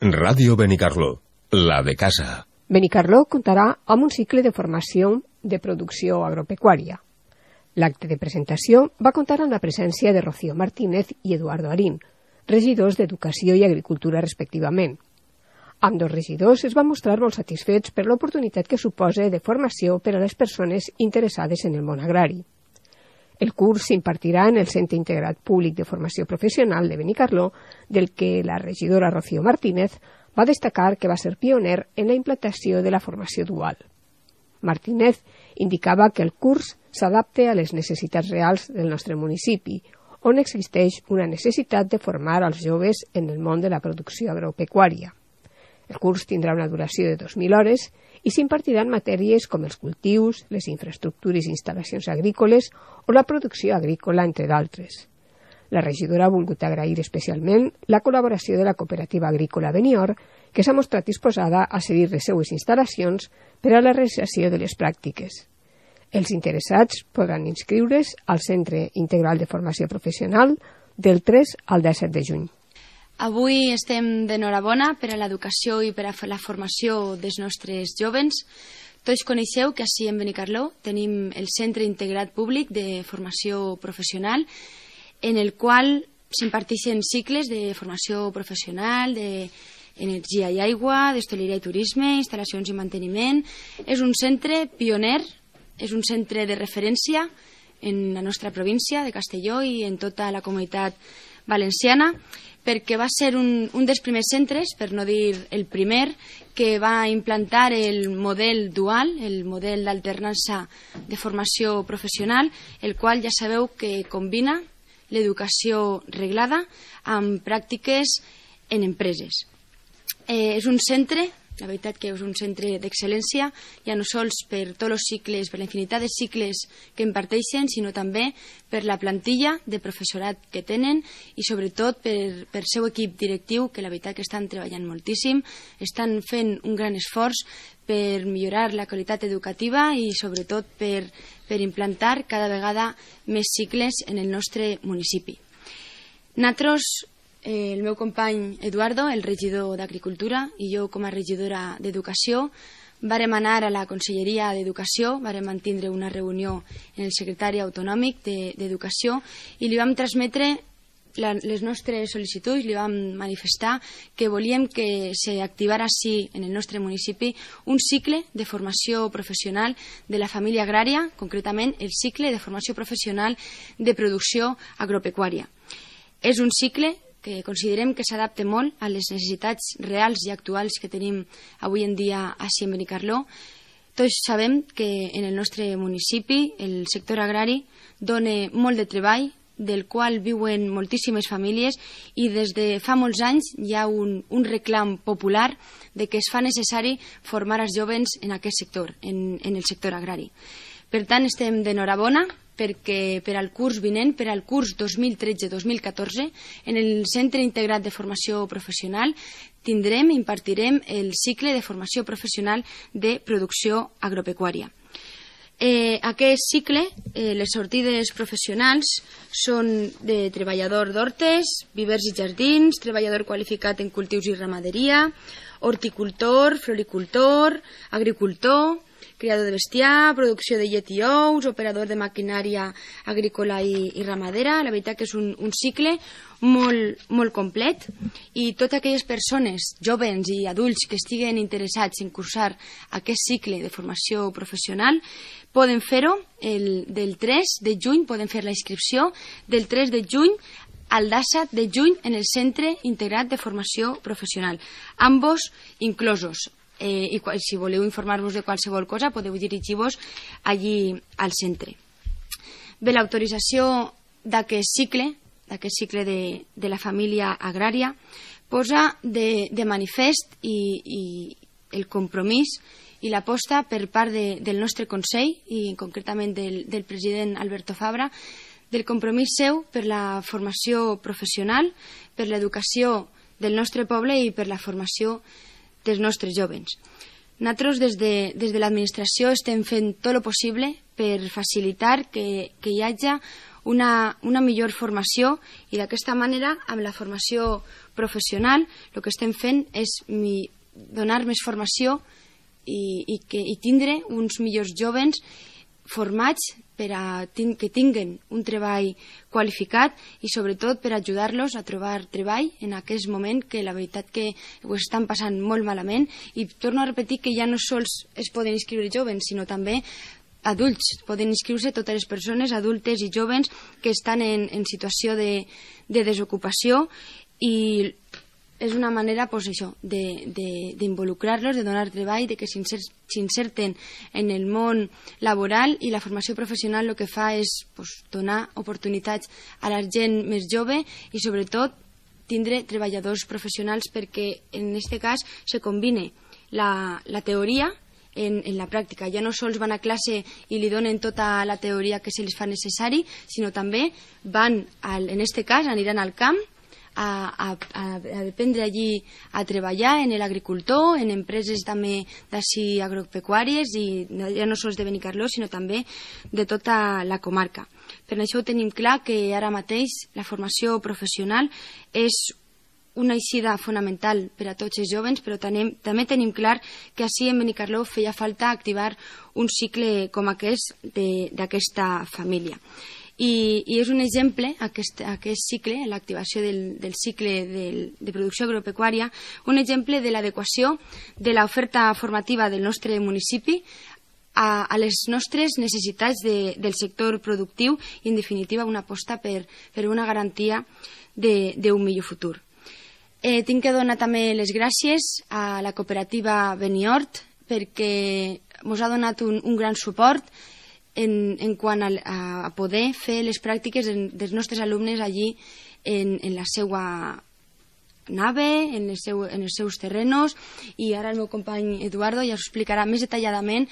Ràdio Benicarló, la de casa. Benicarló comptarà amb un cicle de formació de producció agropecuària. L'acte de presentació va comptar amb la presència de Rocío Martínez i Eduardo Arín, regidors d'Educació i Agricultura respectivament. Ambdós regidors es van mostrar molt satisfets per l'oportunitat que suposa de formació per a les persones interessades en el món agrari. El curs s'impartirà en el Centre Integrat Públic de Formació Professional de Benicarló, del que la regidora Rocío Martínez va destacar que va ser pioner en la implantació de la formació dual. Martínez indicava que el curs s'adapta a les necessitats reals del nostre municipi, on existeix una necessitat de formar als joves en el món de la producció agropecuària. El curs tindrà una duració de 2.000 hores i s'impartiran matèries com els cultius, les infraestructures i instal·lacions agrícoles o la producció agrícola, entre d'altres. La regidora ha volgut agrair especialment la col·laboració de la cooperativa agrícola Benior, que s'ha mostrat disposada a cedir les seues instal·lacions per a la realització de les pràctiques. Els interessats podran inscriure's al Centre Integral de Formació Professional del 3 al 17 de juny. Avui estem d'enhorabona per a l'educació i per a la formació dels nostres jóvens. Tots coneixeu que ací en Benicarló tenim el Centre Integrat Públic de Formació Professional, en el qual s'imparteixen cicles de formació professional, d'energia i aigua, d'hostaleria i turisme, instal·lacions i manteniment. És un centre pioner, és un centre de referència en la nostra província de Castelló i en tota la comunitat valenciana, perquè va ser un dels primers centres, per no dir el primer, que va implantar el model dual, el model d'alternança de formació professional, el qual ja sabeu que combina l'educació reglada amb pràctiques en empreses. És un centre, la veritat que és un centre d'excel·lència, ja no sols per tots els cicles, per la infinitat de cicles que imparteixen, sinó també per la plantilla de professorat que tenen i sobretot per seu equip directiu, que la veritat que estan treballant moltíssim, estan fent un gran esforç per millorar la qualitat educativa i sobretot per implantar cada vegada més cicles en el nostre municipi. Nosaltres, el meu company Eduardo, el regidor d'Agricultura, i jo com a regidora d'Educació, vàrem anar a la Conselleria d'Educació, vàrem mantindre una reunió en el secretari autonòmic d'Educació i li vam transmetre les nostres sol·licituds, li vam manifestar que volíem que s'activara així en el nostre municipi un cicle de formació professional de la família agrària, concretament el cicle de formació professional de producció agropecuària. És un cicle que considerem que s'adapta molt a les necessitats reals i actuals que tenim avui en dia així en Benicarló. Tots sabem que en el nostre municipi el sector agrari dona molt de treball, del qual viuen moltíssimes famílies i des de fa molts anys hi ha un reclam popular de que es fa necessari formar els jóvens en aquest sector, en el sector agrari. Per tant, estem d'enhorabona perquè per al curs vinent, per al curs 2013-2014, en el Centre Integrat de Formació Professional impartirem el cicle de formació professional de producció agropecuària. Aquest cicle, les sortides professionals són de treballador d'hortes, vivers i jardins, treballador qualificat en cultius i ramaderia, horticultor, floricultor, agricultor, criador de bestiar, producció de llet i ous, operador de maquinària agrícola i ramadera. La veritat que és un cicle molt complet i totes aquelles persones, jóvens i adults que estiguen interessats en cursar aquest cicle de formació professional poden fer-ho del 3 de juny, poden fer la inscripció del 3 de juny al 17 de juny en el Centre Integrat de Formació Professional, ambos inclosos. I si voleu informar-vos de qualsevol cosa podeu dirigir-vos allí al centre. Bé, l'autorització d'aquest cicle de la família agrària posa de manifest i el compromís i l'aposta per part del nostre Consell i concretament del president Alberto Fabra del compromís seu per la formació professional, per l'educació del nostre poble i per la formació dels nostres jóvens. Nosaltres des de l'administració estem fent tot el possible per facilitar que hi hagi una millor formació, i d'aquesta manera, amb la formació professional, el que estem fent és donar més formació i tindre uns millors joves formats que tinguen un treball qualificat i sobretot per ajudar-los a trobar treball en aquest moment que la veritat que ho estan passant molt malament. I torno a repetir que ja no sols es poden inscriure joves, sinó també adults. Poden inscriure-se totes les persones adultes i joves que estan en situació de desocupació, i és una manera d'involucrar-los, de donar treball, de que s'inserten en el món laboral, i la formació professional el que fa és donar oportunitats a la gent més jove i sobretot tindre treballadors professionals, perquè en aquest cas se combina la teoria en la pràctica. Ja no sols van a classe i li donen tota la teoria que se les fa necessari, sinó també van, en aquest cas, aniran al camp a dependre allí a treballar en l'agricultor, en empreses també d'ací agropecuàries, i ja no sols de Benicarló, sinó també de tota la comarca. Per això tenim clar que ara mateix la formació professional és una eixida fonamental per a tots els joves, però també tenim clar que ací en Benicarló feia falta activar un cicle com aquest d'aquesta família. I és un exemple, aquest cicle, l'activació del cicle de producció agropecuària, un exemple de l'adequació de l'oferta formativa del nostre municipi a les nostres necessitats del sector productiu i, en definitiva, una aposta per una garantia d'un millor futur. Tinc que donar també les gràcies a la cooperativa Beniort perquè ens ha donat un gran suport en quant a poder fer les pràctiques dels nostres alumnes allí en la seva nave, en els seus terrenos, i ara el meu company Eduardo ja us explicarà més detalladament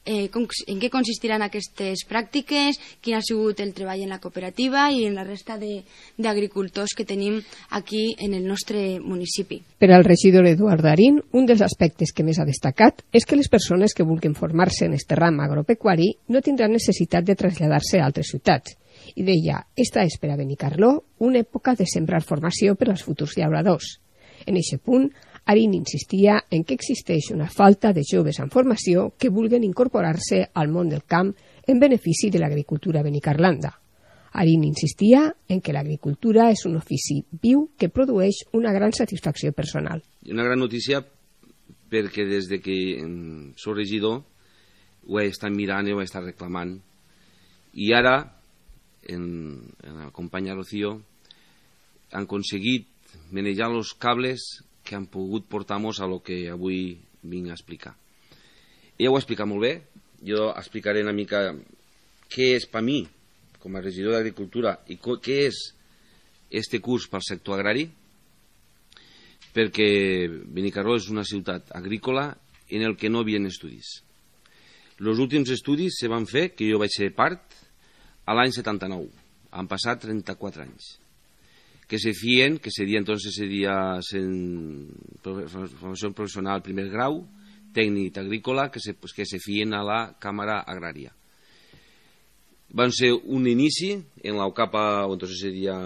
en què consistiran aquestes pràctiques, quin ha sigut el treball en la cooperativa i en la resta d'agricultors que tenim aquí en el nostre municipi. Per al regidor Eduardo Arín, un dels aspectes que més ha destacat és que les persones que vulguin formar-se en este ram agropecuari no tindran necessitat de traslladar-se a altres ciutats. I deia, esta és per a Benicarló una època de sembrar formació per als futurs llauradors. En aquest punt, Arín insistia en que existeix una falta de joves en formació que vulguen incorporar-se al món del camp en benefici de l'agricultura benicarlanda. Arín insistia en que l'agricultura és un ofici viu que produeix una gran satisfacció personal. Una gran notícia perquè des de que soc regidor ho he estat mirant i ho he estat reclamant. I ara, en la companya Rocío, han aconseguit manejar els cables que han pogut portar-nos a lo que avui vinc a explicar. Ella ho ha explicat molt bé, jo explicaré una mica què és per mi, com a regidor d'Agricultura, i què és este curs pel sector agrari, perquè Benicarló és una ciutat agrícola en el que no hi havia estudis. Els últims estudis se van fer, que jo vaig ser part, a l'any 79. Han passat 34 anys. Que se sería entonces formación profesional primer grau, técnica agrícola, que se fien a la Cámara Agraria. Van ser un inici en la capa, entonces sería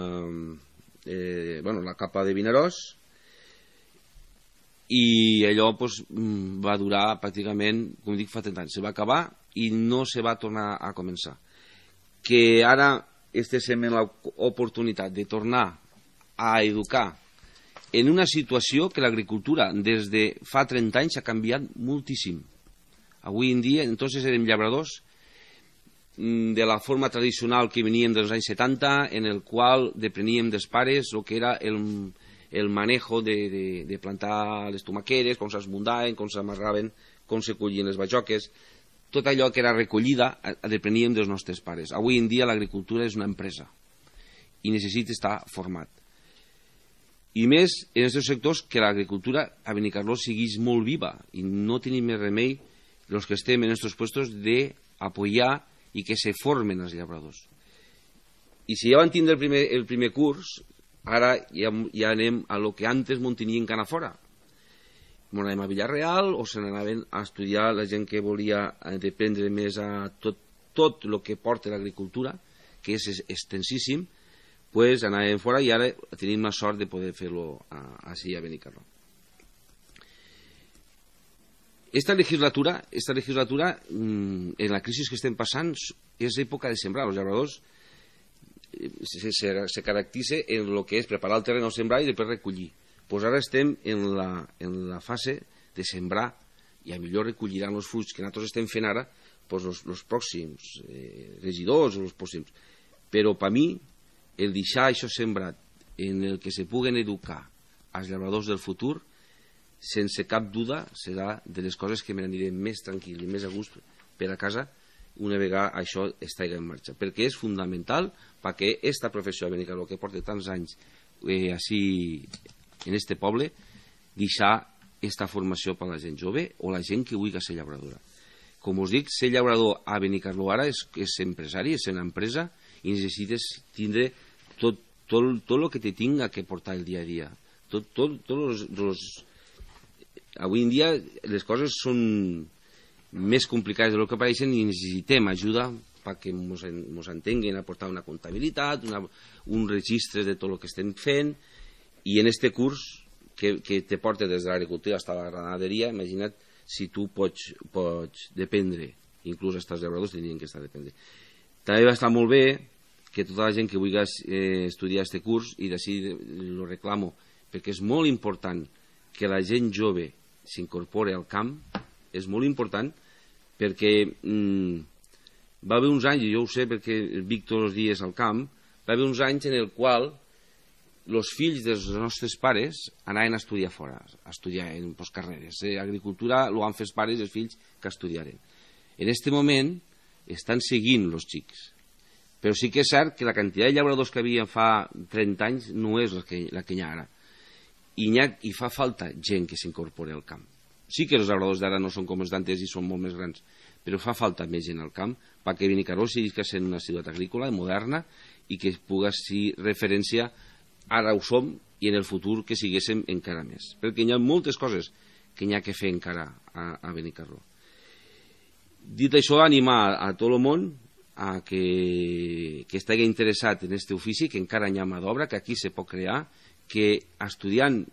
la capa de Vinaròs, i allò va durar pràcticament, com dic, fa 30 anys. Se va acabar i no se va tornar a començar. Que ara estem en l'oportunitat de tornar a educar en una situació que l'agricultura des de fa 30 anys ha canviat moltíssim. Avui en dia, entonces érem llauradors de la forma tradicional que venien dels anys 70, en el qual depreníem dels pares el que era el manejo de plantar les tomaqueres, com s'esmundaven, com s'amarraven, com se collien les bajoques. Tot allò que era recollida depreníem dels nostres pares. Avui en dia l'agricultura és una empresa i necessita estar format. I més en aquests sectors que l'agricultura a Benicarló siguis molt viva i no tenim més remei els que estem en aquests puestos d'apoyar i que se formen els llauradors. I si ja van tindre el primer curs, ara ja anem a lo que antes m'on tenien que anar fora. M'on anem a Villarreal o se n'anaven a estudiar la gent que volia dependre més a tot el que porta l'agricultura, que és extensíssim, pues anàvem fora i ara tenim la sort de poder fer-lo així a Benicarló. Esta legislatura, en la crisi que estem passant, és època de sembrar. Els llauradors se caracteritza en el que és preparar el terreny al sembrar i després recollir. Pues ara estem en la fase de sembrar i a millor recolliran els fruits que nosaltres estem fent ara pues els pròxims regidors o els pròxims. Però per mi, el deixar això sembrat en el que se puguen educar els llauradors del futur, sense cap duda serà de les coses que m'aniré més tranquil i més a gust per a casa una vegada això estigui en marxa, perquè és fundamental perquè esta professió de Benicarló, que porta tants anys així en este poble, deixar esta formació per a la gent jove o la gent que vulgui ser llauradora. Com us dic, ser llaurador a Benicarló ara és empresari, és una empresa i necessites tindre tot el que te tinga que portar el dia a dia. Avui en dia les coses són més complicades del que pareixen i necessitem ajuda perquè ens entenguen a portar una comptabilitat, un registre de tot el que estem fent, i en este curs que te porta des de l'agricultura fins a la ramaderia, imagina't si tu pots dependre, inclús els llauradors tenien que estar dependre. També va estar molt bé que tota la gent que vulgui estudiar aquest curs, i d'ací lo reclamo, perquè és molt important que la gent jove s'incorpore al camp, és molt important perquè va haver uns anys, i jo ho sé perquè vic tots els dies al camp, va haver uns anys en el qual els fills dels nostres pares anaven a estudiar fora, a estudiar en carreres. Agricultura ho han fet els pares i els fills que estudiaren. En aquest moment estan seguint els xics, però sí que és cert que la quantitat de llauradors que havia fa 30 anys no és la que hi ha ara. I fa falta gent que s'incorpori al camp. Sí que els llauradors d'ara no són com els d'antes i són molt més grans, però fa falta més gent al camp perquè Benicarló sigui sent una ciutat agrícola moderna i que pugui ser referència, ara ho som, i en el futur que siguéssim encara més. Perquè hi ha moltes coses que hi ha que fer encara a Benicarló. Dit això, animar a tot el món a que estigui interessat en aquest ofici, que encara hi ha mà d'obra, que aquí se pot crear, que estudiant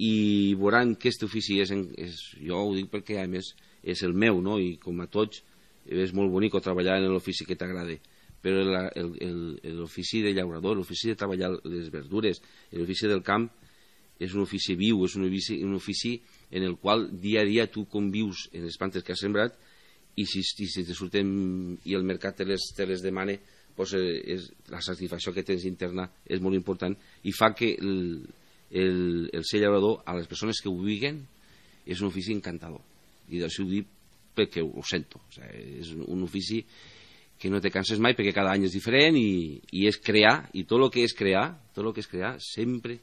i veuran que aquest ofici jo ho dic perquè a més és el meu, no? I com a tots és molt bonic treballar en l'ofici que t'agrada, però l'ofici de llaurador, l'ofici de treballar les verdures, l'ofici del camp és un ofici viu, és un ofici en el qual dia a dia tu convius en les plantes que has sembrat i si te surten i el mercat te les demana, pues la satisfacció que tens interna és molt important i fa que el ser llaurador a les persones que ho vivien és un ofici encantador, i d'això ho dic perquè ho sento. És un ofici que no te canses mai perquè cada any és diferent i és crear, i tot el que és crear sempre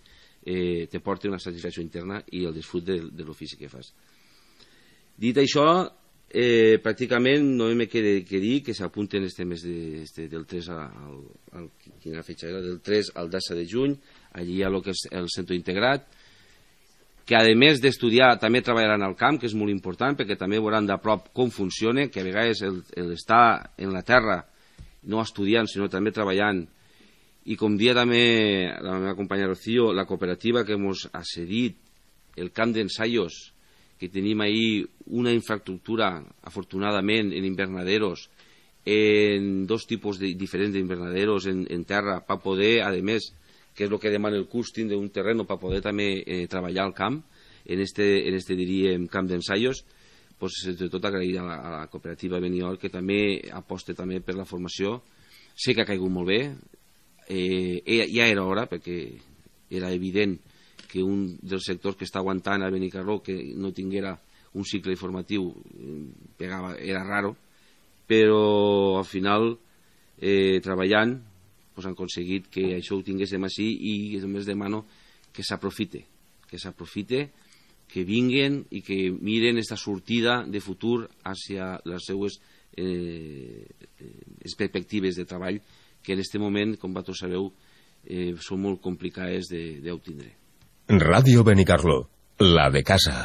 te porta una satisfacció interna i el disfrut de l'ofici que fas. Dit això, pràcticament no me queda que dir que s'apunten este mes del 3 quina fetxa era? Del 3 al 10 de juny, allí hi ha el que és el centre integrat, que a més d'estudiar també treballaran al camp, que és molt important perquè també veuran de prop com funciona, que a vegades l'estar en la terra no estudiant sinó també treballant, i com dia també la meva companya Rocío, la cooperativa que ens ha cedit el camp d'ensaios, que tenim ahí una infraestructura, afortunadament, en invernaderos, en dos tipus diferents d'invernaderos en terra, per poder, a més, que és el que demana el curs, tindre un terreny per poder també treballar al camp, en este diríem, camp d'ensaios, pues, tot agrair a la cooperativa Beniol, que també aposta també per la formació. Sé que ha caigut molt bé, ja era hora, perquè era evident que un dels sectors que està aguantant a Benicarló que no tinguera un cicle informatiu era raro, però al final treballant han aconseguit que això ho tinguéssim així, i només demano que s'aprofite, que vinguen i que miren aquesta sortida de futur hacia les seues perspectives de treball, que en aquest moment, com vosaltres sabeu, són molt complicades d'obtindre. Radio Benicarló, la de casa.